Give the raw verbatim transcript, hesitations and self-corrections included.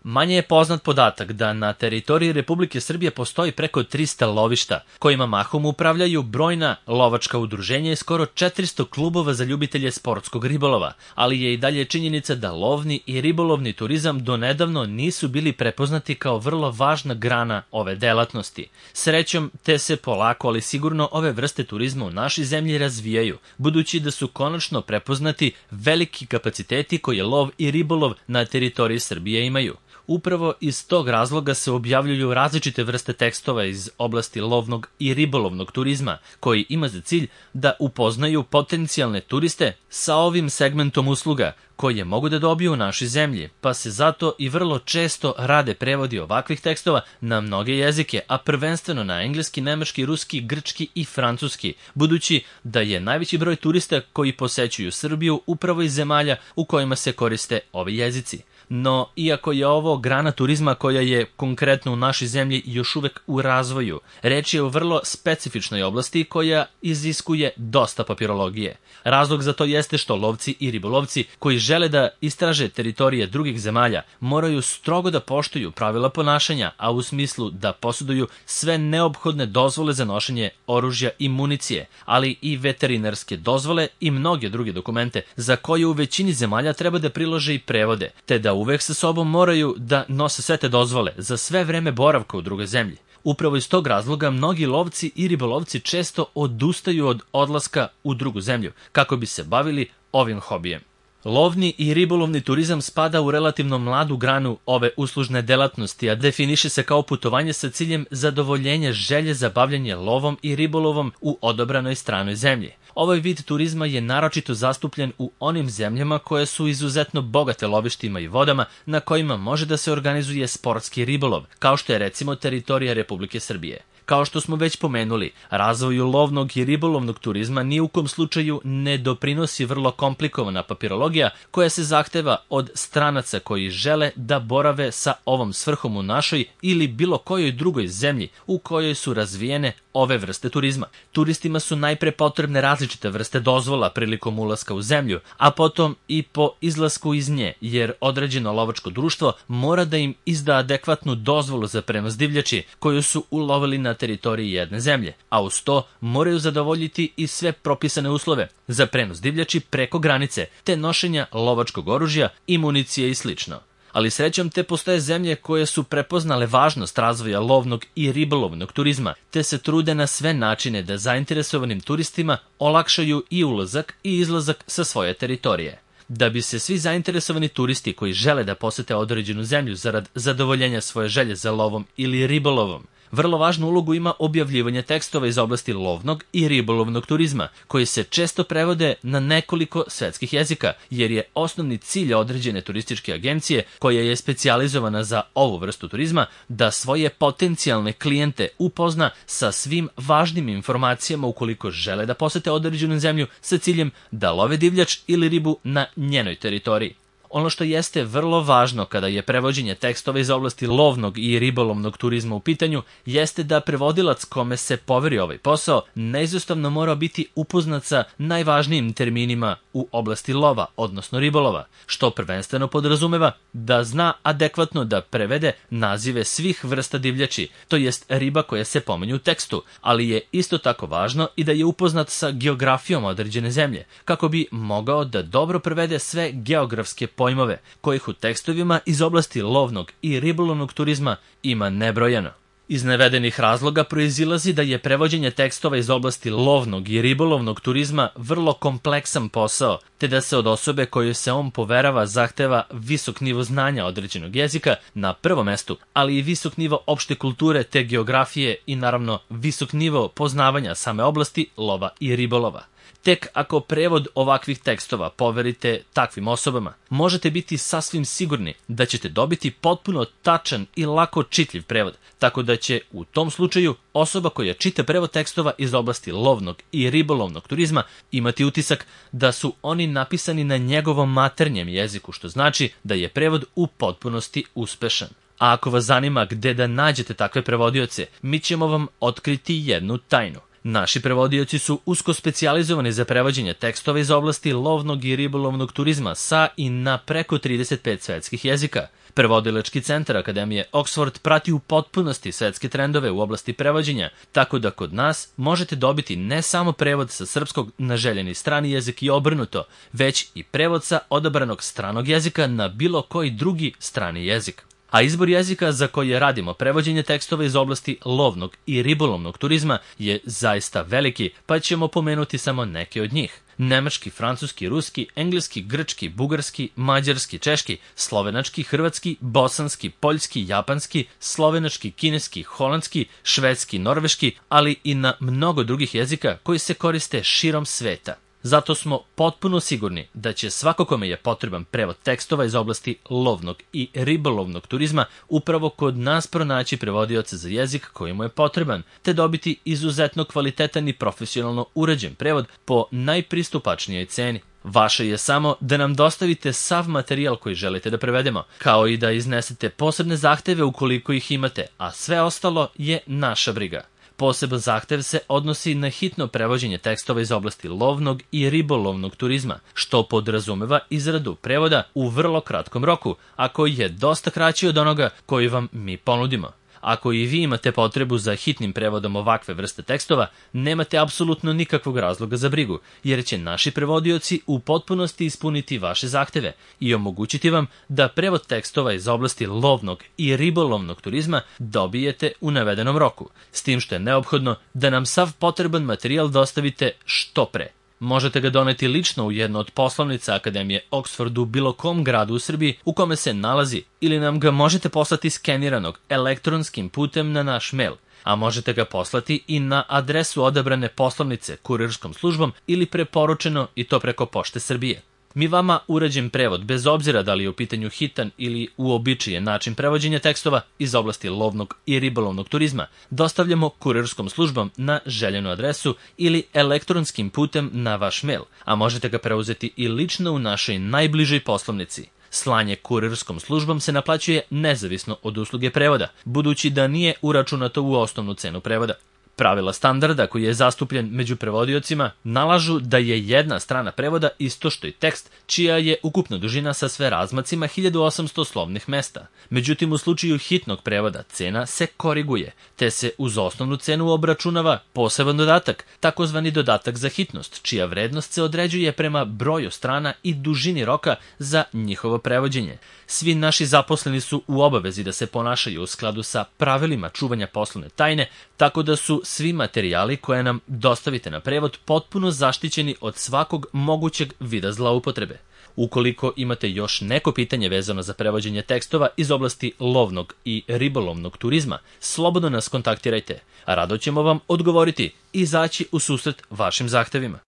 Manje je poznat podatak da na teritoriji Republike Srbije postoji preko trista lovišta, kojima mahom upravljaju brojna lovačka udruženja i skoro četiristo klubova za ljubitelje sportskog ribolova, ali je i dalje činjenica da lovni i ribolovni turizam donedavno nisu bili prepoznati kao vrlo važna grana ove delatnosti. Srećom, te se polako, ali sigurno ove vrste turizma u našoj zemlji razvijaju, budući da su konačno prepoznati veliki kapaciteti koje lov i ribolov na teritoriji Srbije imaju. Upravo iz tog razloga se objavljuju različite vrste tekstova iz oblasti lovnog i ribolovnog turizma, koji ima za cilj da upoznaju potencijalne turiste sa ovim segmentom usluga koje mogu da dobiju u našoj zemlji, pa se zato i vrlo često rade prevodi ovakvih tekstova na mnoge jezike, a prvenstveno na engleski, nemački, ruski, grčki i francuski, budući da je najveći broj turista koji posećuju Srbiju upravo iz zemalja u kojima se koriste ovi jezici. No, iako je ovo grana turizma koja je konkretno u našoj zemlji još uvek u razvoju, reč je o vrlo specifičnoj oblasti koja iziskuje dosta papirologije. Razlog za to jeste što lovci i ribolovci koji žele da istraže teritorije drugih zemalja moraju strogo da poštuju pravila ponašanja, a u smislu da poseduju sve neophodne dozvole za nošenje oružja i municije, ali i veterinarske dozvole i mnoge druge dokumente za koje u većini zemalja treba da prilože i prevode, te da uvek sa sobom moraju da nose sve te dozvole za sve vreme boravka u drugoj zemlji. Upravo iz tog razloga mnogi lovci i ribolovci često odustaju od odlaska u drugu zemlju kako bi se bavili ovim hobijem. Lovni i ribolovni turizam spada u relativno mladu granu ove uslužne delatnosti, a definiše se kao putovanje sa ciljem zadovoljenja želje za bavljanje lovom i ribolovom u odobranoj stranoj zemlji. Ovaj vid turizma je naročito zastupljen u onim zemljama koje su izuzetno bogate lovištima i vodama na kojima može da se organizuje sportski ribolov, kao što je recimo teritorija Republike Srbije. Kao što smo već pomenuli, razvoju lovnog i ribolovnog turizma ni u kom slučaju ne doprinosi vrlo komplikovana papirologija koja se zahteva od stranaca koji žele da borave sa ovom svrhom u našoj ili bilo kojoj drugoj zemlji u kojoj su razvijene ove vrste turizma. Turistima su najpre potrebne različite vrste dozvola prilikom ulaska u zemlju, a potom i po izlasku iz nje, jer određeno lovačko društvo mora da im izda adekvatnu dozvolu za prenos divljači koju su ulovili na teritoriji jedne zemlje, a uz to moraju zadovoljiti i sve propisane uslove za prenos divljači preko granice, te nošenja lovačkog oružja i municije i slično. Ali srećom te postoje zemlje koje su prepoznale važnost razvoja lovnog i ribolovnog turizma, te se trude na sve načine da zainteresovanim turistima olakšaju i ulazak i izlazak sa svoje teritorije. Da bi se svi zainteresovani turisti koji žele da posete određenu zemlju zarad zadovoljenja svoje želje za lovom ili ribolovom, vrlo važnu ulogu ima objavljivanje tekstova iz oblasti lovnog i ribolovnog turizma, koji se često prevode na nekoliko svetskih jezika, jer je osnovni cilj određene turističke agencije, koja je specijalizovana za ovu vrstu turizma, da svoje potencijalne klijente upozna sa svim važnim informacijama ukoliko žele da posete određenu zemlju sa ciljem da love divljač ili ribu na njenoj teritoriji. Ono što jeste vrlo važno kada je prevođenje tekstova iz oblasti lovnog i ribolovnog turizma u pitanju, jeste da prevodilac kome se poveri ovaj posao neizostavno mora biti upoznat sa najvažnijim terminima u oblasti lova, odnosno ribolova, što prvenstveno podrazumeva da zna adekvatno da prevede nazive svih vrsta divljači, to jest riba koje se pominju u tekstu, ali je isto tako važno i da je upoznat sa geografijom određene zemlje, kako bi mogao da dobro prevede sve geografske pojmove, kojih u tekstovima iz oblasti lovnog i ribolovnog turizma ima nebrojeno. Iz navedenih razloga proizilazi da je prevođenje tekstova iz oblasti lovnog i ribolovnog turizma vrlo kompleksan posao, te da se od osobe kojoj se on poverava zahteva visok nivo znanja određenog jezika na prvom mestu, ali i visok nivo opšte kulture te geografije i naravno visok nivo poznavanja same oblasti lova i ribolova. Tek ako prevod ovakvih tekstova poverite takvim osobama, možete biti sasvim sigurni da ćete dobiti potpuno tačan i lako čitljiv prevod, tako da će u tom slučaju osoba koja čita prevod tekstova iz oblasti lovnog i ribolovnog turizma imati utisak da su oni napisani na njegovom maternjem jeziku, što znači da je prevod u potpunosti uspešan. A ako vas zanima gde da nađete takve prevodioce, mi ćemo vam otkriti jednu tajnu. Naši prevodioci su usko specijalizovani za prevođenje tekstova iz oblasti lovnog i ribolovnog turizma sa i na preko trideset pet svetskih jezika. Prevodilački centar Akademije Oxford prati u potpunosti svetske trendove u oblasti prevođenja, tako da kod nas možete dobiti ne samo prevod sa srpskog na željeni strani jezik i obrnuto, već i prevod sa odabranog stranog jezika na bilo koji drugi strani jezik. A izbor jezika za koje radimo prevođenje tekstova iz oblasti lovnog i ribolovnog turizma je zaista veliki, pa ćemo pomenuti samo neke od njih. Nemački, francuski, ruski, engleski, grčki, bugarski, mađarski, češki, slovenački, hrvatski, bosanski, poljski, japanski, slovenački, kineski, holandski, švedski, norveški, ali i na mnogo drugih jezika koji se koriste širom sveta. Zato smo potpuno sigurni da će svako kome je potreban prevod tekstova iz oblasti lovnog i ribolovnog turizma upravo kod nas pronaći prevodioca za jezik koji mu je potreban, te dobiti izuzetno kvalitetan i profesionalno urađen prevod po najpristupačnijoj ceni. Vaše je samo da nam dostavite sav materijal koji želite da prevedemo, kao i da iznesete posebne zahteve ukoliko ih imate, a sve ostalo je naša briga. Poseban zahtev se odnosi na hitno prevođenje tekstova iz oblasti lovnog i ribolovnog turizma, što podrazumeva izradu prevoda u vrlo kratkom roku, a koji je dosta kraći od onoga koji vam mi ponudimo. Ako i vi imate potrebu za hitnim prevodom ovakve vrste tekstova, nemate apsolutno nikakvog razloga za brigu, jer će naši prevodioci u potpunosti ispuniti vaše zahteve i omogućiti vam da prevod tekstova iz oblasti lovnog i ribolovnog turizma dobijete u navedenom roku, s tim što je neophodno da nam sav potreban materijal dostavite što pre. Možete ga doneti lično u jednu od poslovnica Akademije Oxford u bilo kom gradu u Srbiji u kome se nalazi, ili nam ga možete poslati skeniranog elektronskim putem na naš mail, a možete ga poslati i na adresu odabrane poslovnice kurirskom službom ili preporučeno i to preko Pošte Srbije. Mi vama urađen prevod, bez obzira da li je u pitanju hitan ili uobičajen način prevođenja tekstova iz oblasti lovnog i ribolovnog turizma, dostavljamo kurirskom službom na željenu adresu ili elektronskim putem na vaš mail, a možete ga preuzeti i lično u našoj najbližoj poslovnici. Slanje kurirskom službom se naplaćuje nezavisno od usluge prevoda, budući da nije uračunato u osnovnu cenu prevoda. Pravila standarda koji je zastupljen među prevodiocima nalažu da je jedna strana prevoda isto što i tekst, čija je ukupna dužina sa sve razmacima hiljadu osamsto slovnih mesta. Međutim, u slučaju hitnog prevoda cena se koriguje, te se uz osnovnu cenu obračunava poseban dodatak, takozvani dodatak za hitnost, čija vrednost se određuje prema broju strana i dužini roka za njihovo prevođenje. Svi naši zaposleni su u obavezi da se ponašaju u skladu sa pravilima čuvanja poslovne tajne, tako da su svi materijali koje nam dostavite na prevod potpuno zaštićeni od svakog mogućeg vida zloupotrebe. Ukoliko imate još neko pitanje vezano za prevođenje tekstova iz oblasti lovnog i ribolovnog turizma, slobodno nas kontaktirajte, a rado ćemo vam odgovoriti i izaći u susret vašim zahtevima.